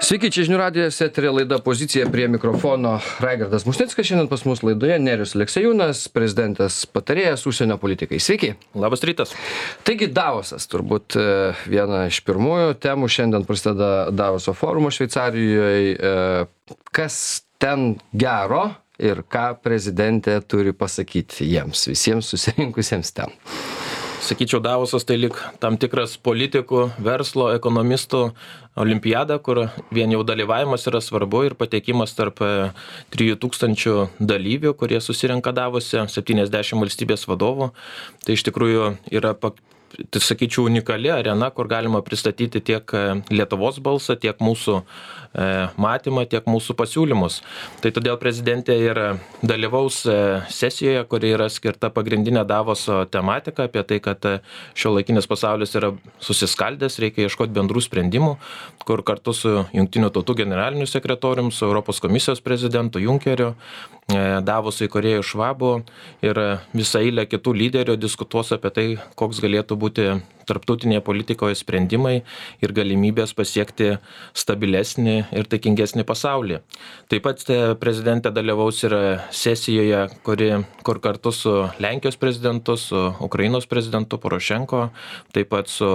Sveiki, čia žinių radijas, eteryje laida Pozicija, prie mikrofono Raigardas Musnickas, šiandien pas mus laidoje Nerijus Aleksiejūnas, prezidentės patarėjas užsienio politikai. Sveiki. Labas rytas. Taigi Davosas turbūt viena iš pirmųjų temų, šiandien prasideda Davoso forumo Šveicarijoje. Kas ten gero ir ką prezidentė turi pasakyti jiems, visiems susirinkusiems ten? Sakyčiau, Davosas tai lyg tam tikras politikų, verslo, ekonomistų olimpiada, kur vien jau dalyvavimas yra svarbu ir patekimas tarp 3000 dalyvių, kurie susirenka Davose, 70 valstybės vadovų. Tai iš tikrųjų yra, tai sakyčiau, unikali arena, kur galima pristatyti tiek Lietuvos balsą, tiek mūsų matymą, tiek mūsų pasiūlymus. Tai todėl prezidentė ir dalyvaus sesijoje, kuri yra skirta pagrindinė Davoso tematika apie tai, kad šiuolaikinis pasaulis yra susiskaldęs, reikia ieškoti bendrų sprendimų, kur kartu su Jungtinių tautų generaliniu sekretoriumi, su Europos komisijos prezidentu Junckeriu, Davoso įkūrėju Švabu ir visą eilę kitų lyderių diskutuos apie tai, koks galėtų būti tarptautinėje politikoje sprendimai ir galimybės pasiekti stabilesnį ir taikingesnį pasaulį. Taip pat prezidentė dalyvaus ir sesijoje, kur kartu su Lenkijos prezidentu, su Ukrainos prezidentu Porošenko, taip pat su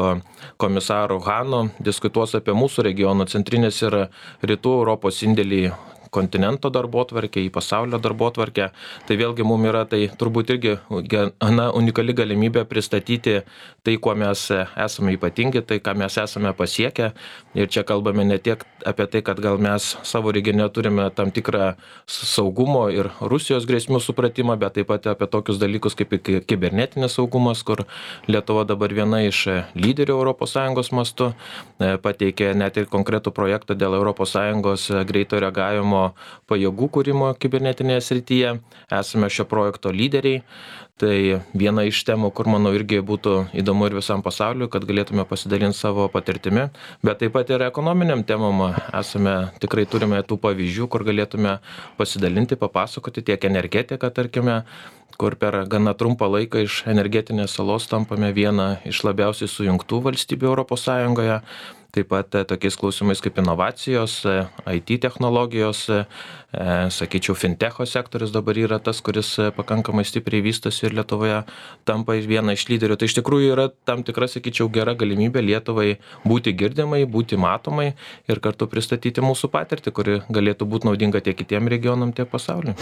komisaru Hanu diskutuos apie mūsų regiono centrinės ir rytų Europos indėlį kontinento darbotvarkę, į pasaulio darbotvarkę. Tai vėlgi mums yra tai turbūt irgi unikali galimybė pristatyti tai, kuo mes esame ypatingi, tai, ką mes esame pasiekę. Ir čia kalbame ne tiek apie tai, kad gal mes savo regione turime tam tikrą saugumo ir Rusijos grėsmių supratimą, bet taip pat apie tokius dalykus kaip kibernetinis saugumas, kur Lietuva dabar viena iš lyderių ES mastu pateikė net ir konkretų projektą dėl ES greito reagavimo pajėgų kūrimo kibernetinėje srityje. Esame šio projekto lyderiai. Tai viena iš temų, kur manau irgi būtų įdomu ir visam pasauliu, kad galėtume pasidalinti savo patirtimi. Bet taip pat ir ekonominiam temam tikrai turime tų pavyzdžių, kur galėtume pasidalinti, papasakoti tiek energetiką, tarkime, kur per gana trumpą laiką iš energetinės salos tampame viena iš labiausiai sujungtų valstybių ES. Taip pat tokiais klausimais kaip inovacijos, IT technologijos, sakyčiau, fintecho sektorius dabar yra tas, kuris pakankamai stipriai vystosi ir Lietuvoje tampa viena iš lyderių. Tai iš tikrųjų yra tam tikra, sakyčiau, gera galimybė Lietuvai būti girdimai, būti matomai ir kartu pristatyti mūsų patirtį, kuri galėtų būti naudinga tiek kitiem regionam, tiek pasauliui.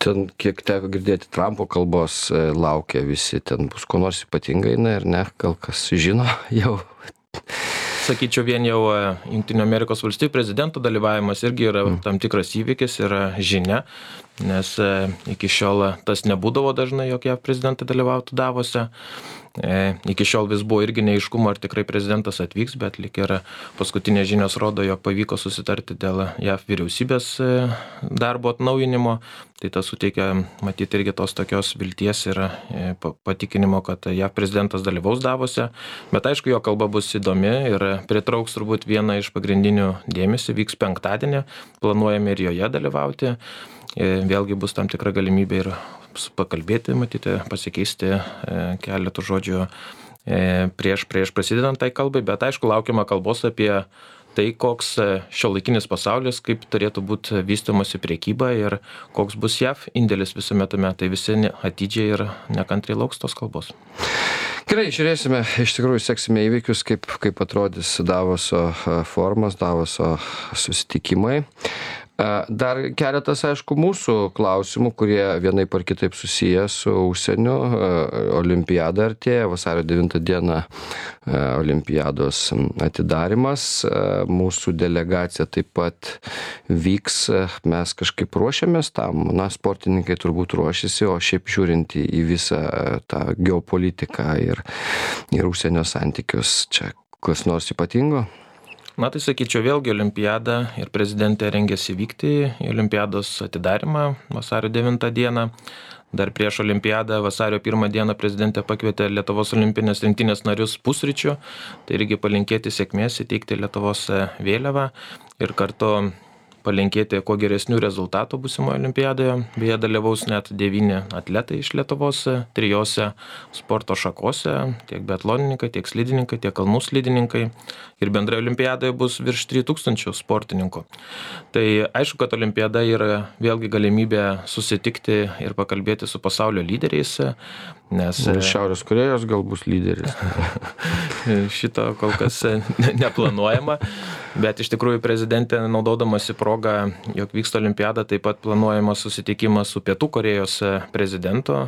Ten, kiek teko girdėti, Trumpo kalbos laukia visi, ten bus ko nors ypatingai, ir ne, gal kas žino jau. Sakyčiau, vien jau Jungtinių Amerikos valstijų prezidento dalyvavimas irgi yra tam tikras įvykis, yra žinia, nes iki šiol tas nebūdavo dažnai, jog JAV prezidentai dalyvautų Davose. Iki šiol vis buvo irgi neaiškumo, ar tikrai prezidentas atvyks, bet lyg ir paskutinės žinios rodo, jog pavyko susitarti dėl JAV vyriausybės darbo atnaujinimo. Tai tas suteikia matyti irgi tos tokios vilties ir patikinimo, kad JAV prezidentas dalyvaus Davose. Bet aišku, jo kalba bus įdomi ir pritrauks turbūt vieną iš pagrindinių dėmesį, vyks penktadienį, planuojame ir joje dalyvauti. Vėlgi bus tam tikra galimybė ir pakalbėti, matyti, pasikeisti keletų žodžių prieš prasidedant tai kalbai, bet aišku, laukiama kalbos apie tai, koks šiuolaikinis pasaulis, kaip turėtų būti vystomasi prekyba ir koks bus JAV indėlis visame tame, tai visi atidžiai ir nekantriai lauks tos kalbos. Gerai, žiūrėsime, iš tikrųjų seksime įvykius, kaip atrodys Davoso forumas, Davoso susitikimai. Dar keletas, aišku, mūsų klausimų, kurie vienaip ar kitaip susiję su užsieniu. Olimpiada artėja, vasario 9 dieną olimpiados atidarimas. Mūsų delegacija taip pat vyks, mes kažkaip ruošiamės tam. Sportininkai turbūt ruošiasi, o šiaip žiūrint į visą tą geopolitiką ir užsienio santykius, čia kas nors ypatingo? Na tai sakyčiau, vėlgi olimpiada ir prezidentė rengėsi vykti į olimpiados atidarimą vasario 9 dieną. Dar prieš olimpiadą vasario 1 dieną prezidentė pakvietė Lietuvos olimpinės rinktinės narius pusryčių. Tai irgi palinkėti sėkmės, įteikti Lietuvos vėliavą ir kartu palinkėti kuo geresnių rezultatų būsimoje olimpiadoje. Beje, dalyvaus net 9 atletai iš Lietuvos 3 sporto šakose, tiek biatlonininkai, tiek slidininkai, tiek kalnų slidininkai. Ir bendrai olimpiadoje bus virš 3000 sportininkų. Tai aišku, kad olimpiada yra vėlgi galimybė susitikti ir pakalbėti su pasaulio lyderiais, nes... Šiaurės Korėjos gal bus lyderis. Šito kol kas neplanuojama, bet iš tikrųjų prezidentė, naudodamasi progą, jog vyksta olimpiada, taip pat planuojamas susitikimas su Pietų Korėjos prezidentu,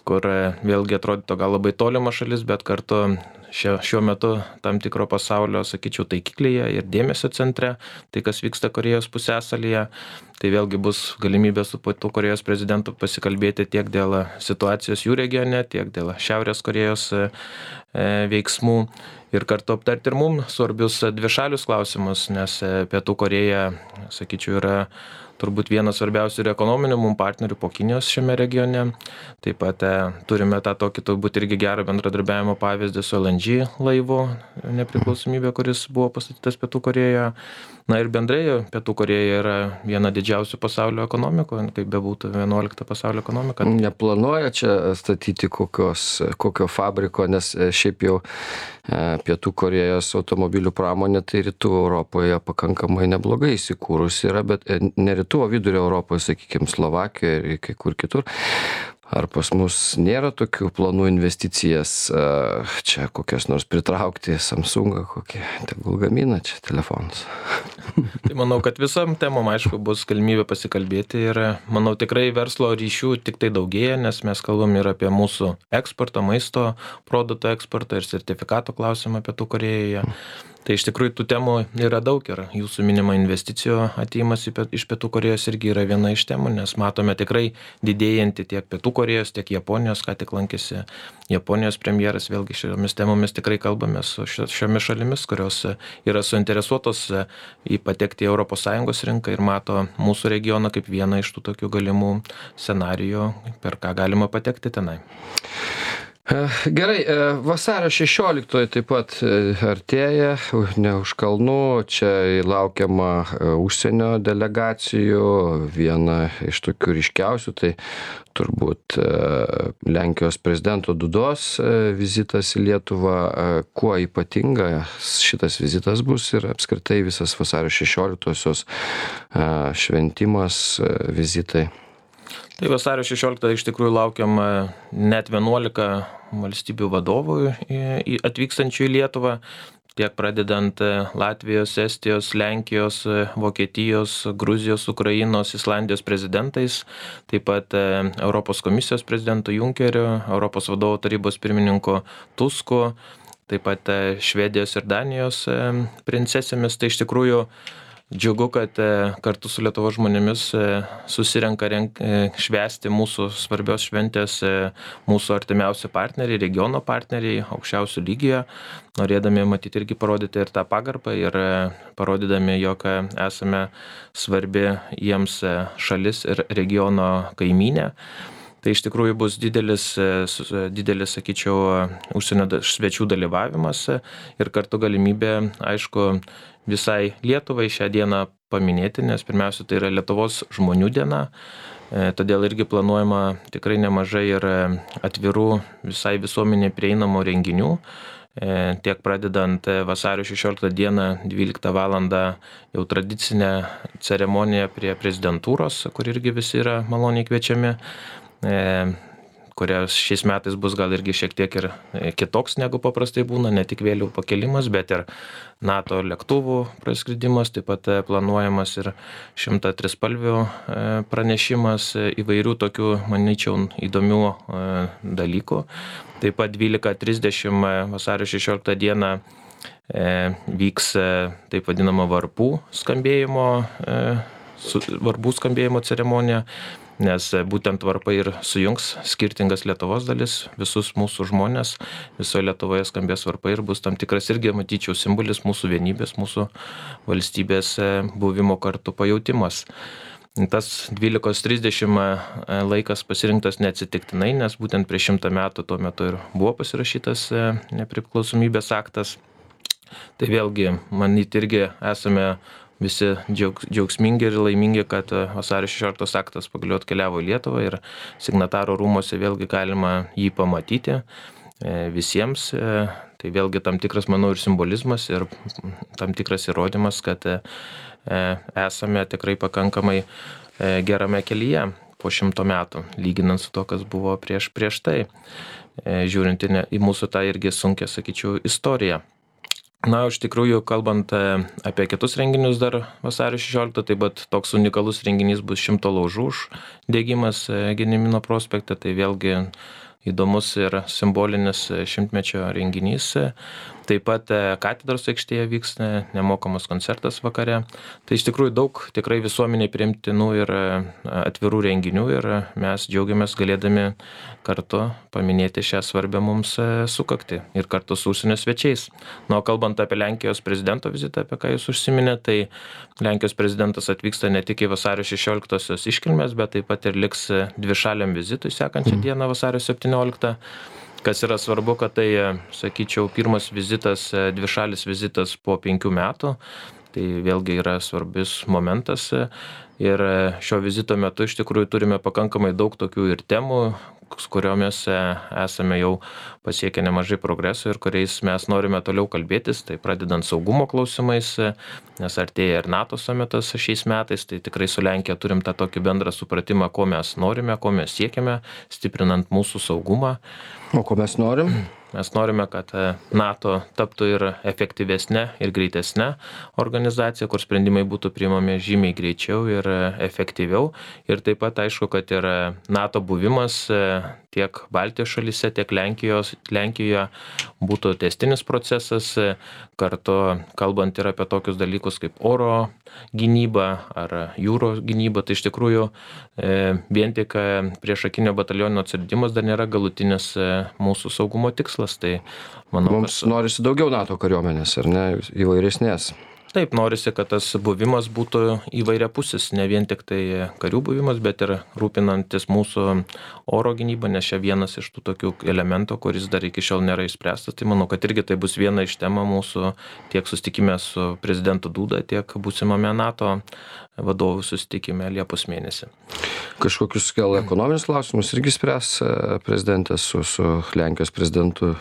kur vėlgi atrodytų gal labai tolima šalis, bet kartu šiuo metu tam tikro pasaulio, sakyčiau, taikiklyje ir dėmesio centre, tai kas vyksta Korėjos pusiasalyje. Tai vėlgi bus galimybė su Pietų Korėjos prezidentu pasikalbėti tiek dėl situacijos jų regione, tiek dėl Šiaurės Korėjos veiksmų ir kartu aptarti ir mums svarbius dvišalius klausimus, nes Pietų Korėja, sakyčiau, yra turbūt vienas svarbiausių ir ekonominių mums partnerių po Kinijos šiame regione. Taip pat turime tą tokį turbūt irgi gerą bendradarbiavimo pavyzdį su LNG laivu nepriklausomybė, kuris buvo pastatytas Pietų Korėjoje. Na ir bendrai Pietų Korėja yra viena didžiausių pasaulio ekonomikų, kaip bebūtų 11 pasaulio ekonomika. Neplanuoja čia statyti kokio fabriko, nes šiaip jau Pietų Korėjos automobilių pramonė tai rytų Europoje pakankamai neblogai įsikūrusi yra, bet ne rytų, o vidurio Europoje, sakykime, Slovakijoje ir kai kur kitur. Ar pas mus nėra tokių planų investicijas čia kokias nors pritraukti, Samsungą kokį, tegul gamina čia telefonus? Tai manau, kad visam temom, aišku, bus galimybė pasikalbėti ir manau tikrai verslo ryšių tik tai daugėja, nes mes kalbam ir apie mūsų eksportą, maisto produktų eksportą ir sertifikato klausimą Pietų Korėjoje. Tai iš tikrųjų tų temų yra daug ir jūsų minima investicijų atėjimas iš Pietų Korėjos irgi yra viena iš temų, nes matome tikrai didėjantį tiek Pietų Korėjos, tiek Japonijos, ką tik lankėsi Japonijos premjeras, vėlgi šiomis temomis tikrai kalbame su šiomis šalimis, kurios yra suinteresuotos patekti į ES rinką ir mato mūsų regioną kaip vieną iš tų tokių galimų scenarijų, per ką galima patekti tenai. Gerai, vasario 16 taip pat artėja, ne už kalnų, čia laukiama užsienio delegacijų, viena iš tokių ryškiausių, tai turbūt Lenkijos prezidento Dudos vizitas į Lietuvą. Kuo ypatingas šitas vizitas bus ir apskritai visas vasario 16-osios šventimas, vizitai? Tai vasario 16 iš tikrųjų laukiam net 11 valstybių vadovų atvykstančių į Lietuvą, tiek pradedant Latvijos, Estijos, Lenkijos, Vokietijos, Gruzijos, Ukrainos, Islandijos prezidentais, taip pat Europos komisijos prezidentu Junckeriu, Europos vadovų tarybos pirmininku Tusku, taip pat Švedijos ir Danijos princesėmis. Tai iš tikrųjų džiugu, kad kartu su Lietuvos žmonėmis susirenka švęsti mūsų svarbios šventės mūsų artimiausi partneriai, regiono partneriai, aukščiausių lygyje, norėdami matyti irgi parodyti ir tą pagarbą ir parodydami, jog esame svarbi jiems šalis ir regiono kaimynė. Tai iš tikrųjų bus didelis, sakyčiau, užsienio svečių dalyvavimas ir kartu galimybė, aišku, visai Lietuvai šią dieną paminėti, nes pirmiausia, tai yra Lietuvos žmonių diena, todėl irgi planuojama tikrai nemažai ir atvirų visai visuomenė prieinamų renginių, tiek pradedant vasario 16 dieną 12 valandą jau tradicinę ceremoniją prie prezidentūros, kur irgi visi yra maloniai kviečiami, kurios šiais metais bus gal irgi šiek tiek ir kitoks negu paprastai būna, ne tik vėliavų pakelimas, bet ir NATO lėktuvų praskridimas, taip pat planuojamas ir 103 spalvių pranešimas įvairių tokių, manyčiau, įdomių dalykų. Taip pat 12:30 vasario 16 dieną vyks taip vadinama varpų skambėjimo ceremonija, nes būtent varpai ir sujungs skirtingas Lietuvos dalis, visus mūsų žmonės, visoje Lietuvoje skambės varpai ir bus tam tikras irgi, matyčiau, simbolis mūsų vienybės, mūsų valstybės buvimo kartu pajautimas. Tas 12:30 laikas pasirinktas neatsitiktinai, nes būtent prieš 100 metų tuo metu ir buvo pasirašytas nepriklausomybės aktas. Tai vėlgi, manyti irgi esame visi džiaugsmingi ir laimingi, kad vasario 16 aktas pagaliau atkeliavo į Lietuvą ir signatarų rūmose vėlgi galima jį pamatyti visiems. Tai vėlgi tam tikras, manau, ir simbolizmas, ir tam tikras įrodymas, kad esame tikrai pakankamai gerame kelyje po 100 metų, lyginant su to, kas buvo prieš tai, žiūrint į mūsų tą irgi sunkią, sakyčiau, istoriją. Na, iš tikrųjų, kalbant apie kitus renginius dar vasario 16, tai bet toks unikalus renginys bus 100 laužų uždegimas Gedimino prospekte, tai vėlgi įdomus ir simbolinis 100-mečio renginys. Taip pat katedros aikštėje vyks nemokamas koncertas vakare. Tai iš tikrųjų daug tikrai visuomeniai priimtinų ir atvirų renginių ir mes džiaugiamės galėdami kartu paminėti šią svarbę mums sukaktį ir kartu su užsienio svečiais. Na, o kalbant apie Lenkijos prezidento vizitą, apie ką jūs užsiminėte, tai Lenkijos prezidentas atvyksta ne tik į vasario 16-osios iškilmes, bet taip pat ir liks dvišaliam vizitui sekančią dieną vasario 17. Kas yra svarbu, kad tai, sakyčiau, pirmas vizitas, dvišalis vizitas po 5 metų. Tai vėlgi yra svarbus momentas ir šio vizito metu iš tikrųjų turime pakankamai daug tokių ir temų, su kuriomis esame jau pasiekę nemažai progreso ir kuriais mes norime toliau kalbėtis, tai pradedant saugumo klausimais, nes artėja ir NATO summitas šiais metais, tai tikrai su Lenkija turim tą tokį bendrą supratimą, ko mes norime, ko mes siekiame, stiprinant mūsų saugumą. O ko mes norim? Mes norime, kad NATO taptų ir efektyvesnė ir greitesnė organizacija, kur sprendimai būtų priimami žymiai greičiau ir efektyviau. Ir taip pat aišku, kad ir NATO buvimas tiek Baltijos šalyse, tiek Lenkijoje būtų tęstinis procesas, kartu kalbant ir apie tokius dalykus kaip oro gynyba ar jūros gynyba. Tai iš tikrųjų vien tik priešakinio bataliono atsiradimas dar nėra galutinis mūsų saugumo tikslas. Tai manau, mums norisi daugiau NATO kariuomenės, ar ne, įvairesnės. Taip, norisi, kad tas buvimas būtų įvairiapusis, ne vien tik tai karių buvimas, bet ir rūpinantis mūsų oro gynybą, nes čia vienas iš tų tokių elementų, kuris dar iki šiol nėra išspręstas. Tai manau, kad irgi tai bus viena iš temų mūsų tiek susitikime su prezidentu Duda, tiek būsimame NATO vadovų susitikime Liepos mėnesį. Kažkokius gal ekonominius klausimus irgi spręs prezidentas su Lenkijos prezidentu.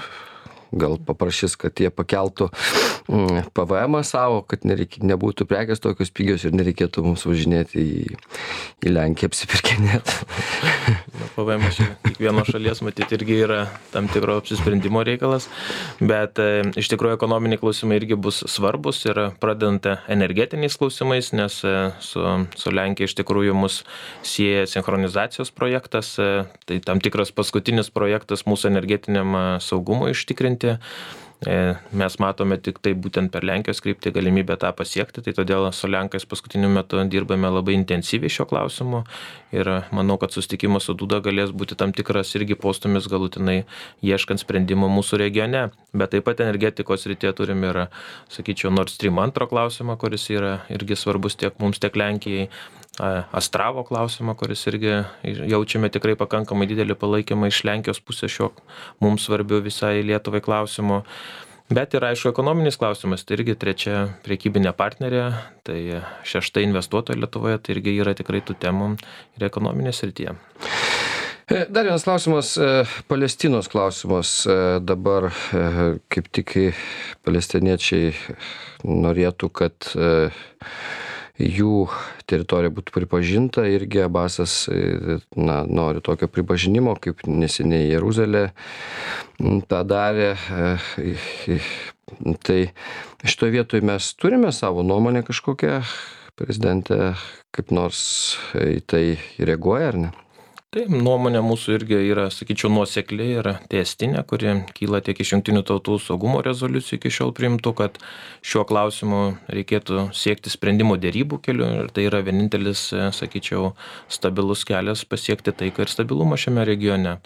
Gal paprašys, kad jie pakeltų PVM savo, kad nebūtų prekės tokios pigios ir nereikėtų mums važinėti į Lenkiją apsipirkinėti. PVM kiekvieno šalies matyti irgi yra tam tikro apsisprendimo reikalas, bet iš tikrųjų ekonominiai klausimai irgi bus svarbus ir pradedant energetiniais klausimais, nes su Lenkija iš tikrųjų mus sieja sinchronizacijos projektas, tai tam tikras paskutinis projektas mūsų energetiniam saugumui ištikrinti. Mes matome tik tai būtent per Lenkijos kryptį galimybę tą pasiekti, tai todėl su Lenkais paskutiniu metu dirbame labai intensyviai šio klausimu ir manau, kad susitikimas su Duda galės būti tam tikras irgi postūmis galutinai ieškant sprendimo mūsų regione. Bet taip pat energetikos srityje turim ir, sakyčiau, Nord Stream 2 klausimą, kuris yra irgi svarbus tiek mums, tiek Lenkijai. Astravo klausimą, kuris irgi jaučiame tikrai pakankamai didelį palaikymą iš Lenkijos pusės šio mums svarbiu visai Lietuvai klausimu. Bet ir aišku ekonominis klausimas, tai irgi 3 prekybinė partnerė, tai 6 investuotoja Lietuvoje, tai irgi yra tikrai tų temų ir ekonominės srityje. Dar vienas klausimas, Palestinos klausimas. Dabar kaip tik palestiniečiai norėtų, kad jų teritorija būtų pripažinta, irgi Abasas nori tokio pripažinimo, kaip neseniai Jeruzalė tą darė. Tai šitoje vietoje mes turime savo nuomonę kažkokią, prezidentė kaip nors į tai reaguoja ar ne? Tai nuomonė mūsų irgi yra, sakyčiau, nuosekli ir tęstinė, kuri kyla tiek iš Jungtinių tautų saugumo rezoliucijų iki šiol priimtų, kad šiuo klausimu reikėtų siekti sprendimo dėrybų keliu ir tai yra vienintelis, sakyčiau, stabilus kelias pasiekti taiką ir stabilumą šiame regione.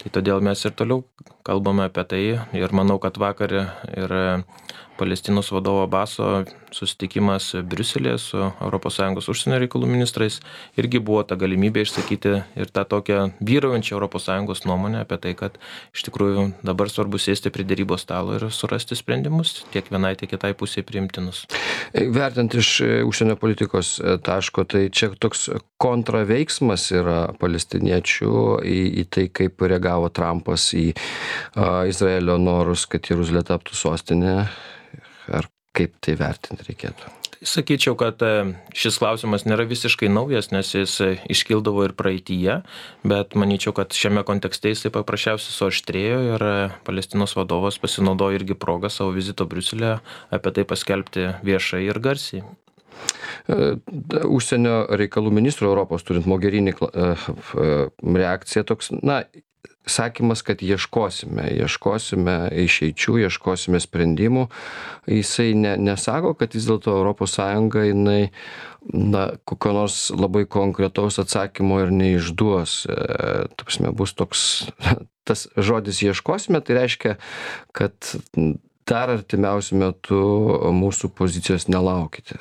Tai todėl mes ir toliau kalbame apie tai ir manau, kad vakar ir Palestinos vadovo Abaso susitikimas Briuselėje su ES užsienio reikalų ministrais irgi buvo ta galimybė išsakyti ir tą tokią vyraujančią ES nuomonę apie tai, kad iš tikrųjų dabar svarbu sėsti prie dėrybos stalo ir surasti sprendimus tiek vienai, tiek kitai pusiai priimtinus. Vertinant iš užsienio politikos taško, tai čia toks kontraveiksmas yra palestiniečių į tai, kaip reagavo Trumpas į Izraelio norus, kad Jeruzalė taptų sostinė, ar kaip tai vertinti reikėtų? Sakyčiau, kad šis klausimas nėra visiškai naujas, nes jis iškildavo ir praeityje, bet manyčiau, kad šiame kontekste jisai paprasčiausiai suaštrėjo ir Palestinos vadovas pasinaudojo irgi progą savo vizito Briuselėje apie tai paskelbti viešai ir garsiai. Užsienio reikalų ministro Europos, turint Mogherini reakcija toks, sakymas, kad ieškosime išeičių, ieškosime sprendimų. Jisai nesako, kad vis dėlto ES jinai kokio nors labai konkretaus atsakymo ir neišduos. Bus toks, tas žodis ieškosime, tai reiškia, kad dar artimiausiu metu mūsų pozicijos nelaukite.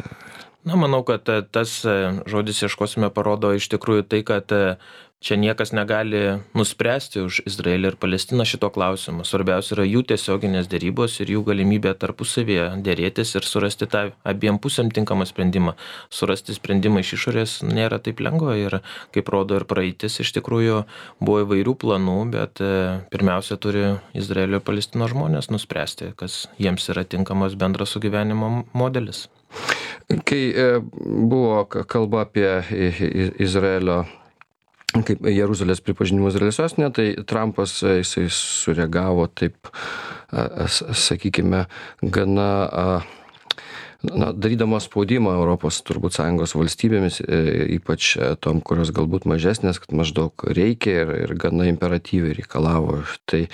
Manau, kad tas žodis ieškosime parodo iš tikrųjų tai, kad čia niekas negali nuspręsti už Izraelį ir Palestiną šito klausimu. Svarbiausia yra jų tiesioginės dėrybos ir jų galimybė tarpusavėje dėrėtis ir surasti tą abiem pusėm tinkamą sprendimą. Surasti sprendimą iš išorės nėra taip lengva ir, kaip rodo ir praeitis, iš tikrųjų buvo įvairių planų, bet pirmiausia turi Izraelio ir Palestinos žmonės nuspręsti, kas jiems yra tinkamas bendras sugyvenimo modelis. Kai buvo kalba apie Izraelio, kaip Jeruzalės pripažinimo Izraelio sostinė, tai Trumpas jisai sureagavo taip, sakykime, gana darydamas spaudimą Europos turbūt Sąjungos valstybėmis, ypač tom, kurios galbūt mažesnės, kad maždaug reikia ir gana imperatyviai reikalavo. Tai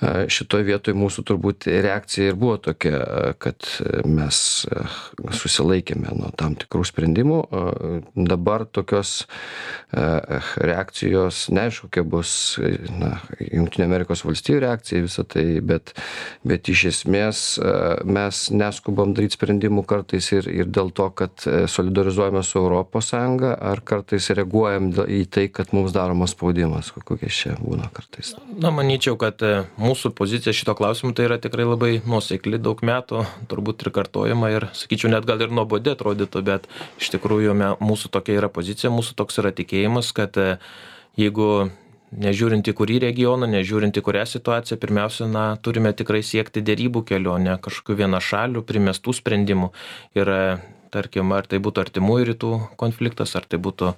šitoje vietoje mūsų turbūt reakcija ir buvo tokia, kad mes susilaikėme nuo tam tikrų sprendimų. Dabar tokios reakcijos, neaišku, kokia bus Jungtinių Amerikos valstijų reakcija visą tai, bet iš esmės mes neskubam daryti sprendimų kartais ir dėl to, kad solidarizuojame su Europos Sąjunga, ar kartais reaguojam į tai, kad mums daromas spaudimas, kokie čia būna kartais. Manyčiau, kad mūsų pozicija šito klausimu tai yra tikrai labai nuosekli, daug metų turbūt ir kartojama ir, sakyčiau, net gal ir nuobodi atrodytų, bet iš tikrųjų mūsų tokia yra pozicija, mūsų toks yra tikėjimas, kad jeigu nežiūrint į kurį regioną, nežiūrint į kurią situaciją, pirmiausia, turime tikrai siekti dėrybų kelio, ne kažkokių vienašalių primestų sprendimų. Ir tarkim, ar tai būtų artimųjų rytų konfliktas, ar tai būtų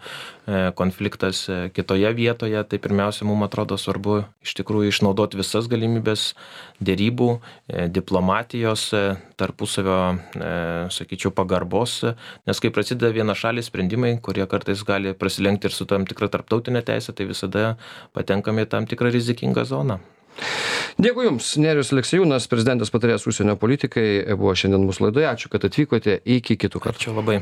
konfliktas kitoje vietoje, tai pirmiausia, mums atrodo svarbu iš tikrųjų išnaudoti visas galimybės dėrybų, diplomatijos, tarpusavio, sakyčiau, pagarbos, nes kai prasideda vienašaliai sprendimai, kurie kartais gali prasilenkti ir su tam tikra tarptautinė teisė, tai visada patenkame į tam tikrą rizikingą zoną. Dėkui Jums, Nerijus Aleksiejūnas, prezidentės patarėjas užsienio politikai, buvo šiandien mūsų laidoje. Ačiū, kad atvykote. Iki kitų kartų. Ačiū labai.